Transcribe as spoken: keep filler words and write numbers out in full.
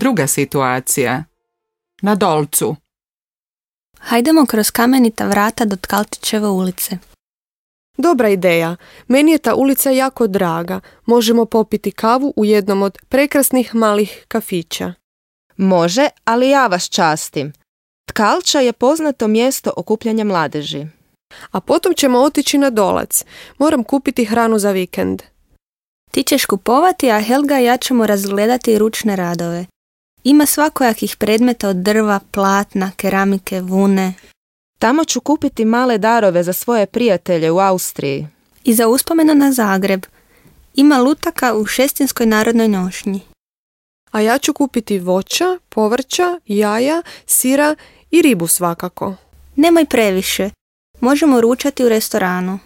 druga situacija. Na Dolcu. Hajdemo kroz kamenita vrata do Tkalčićeve ulice. Dobra ideja. Meni je ta ulica jako draga. Možemo popiti kavu u jednom od prekrasnih malih kafića. Može, ali ja vas častim. Tkalča je poznato mjesto okupljanja mladeži. A potom ćemo otići na Dolac. Moram kupiti hranu za vikend. Ti ćeš kupovati, a Helga i ja ćemo razgledati ručne radove. Ima svakojakih predmeta od drva, platna, keramike, vune. Tamo ću kupiti male darove za svoje prijatelje u Austriji. I za uspomenu na Zagreb. Ima lutaka u Šestinskoj narodnoj nošnji. A ja ću kupiti voća, povrća, jaja, sira i ribu svakako. Nemoj previše. Možemo ručati u restoranu.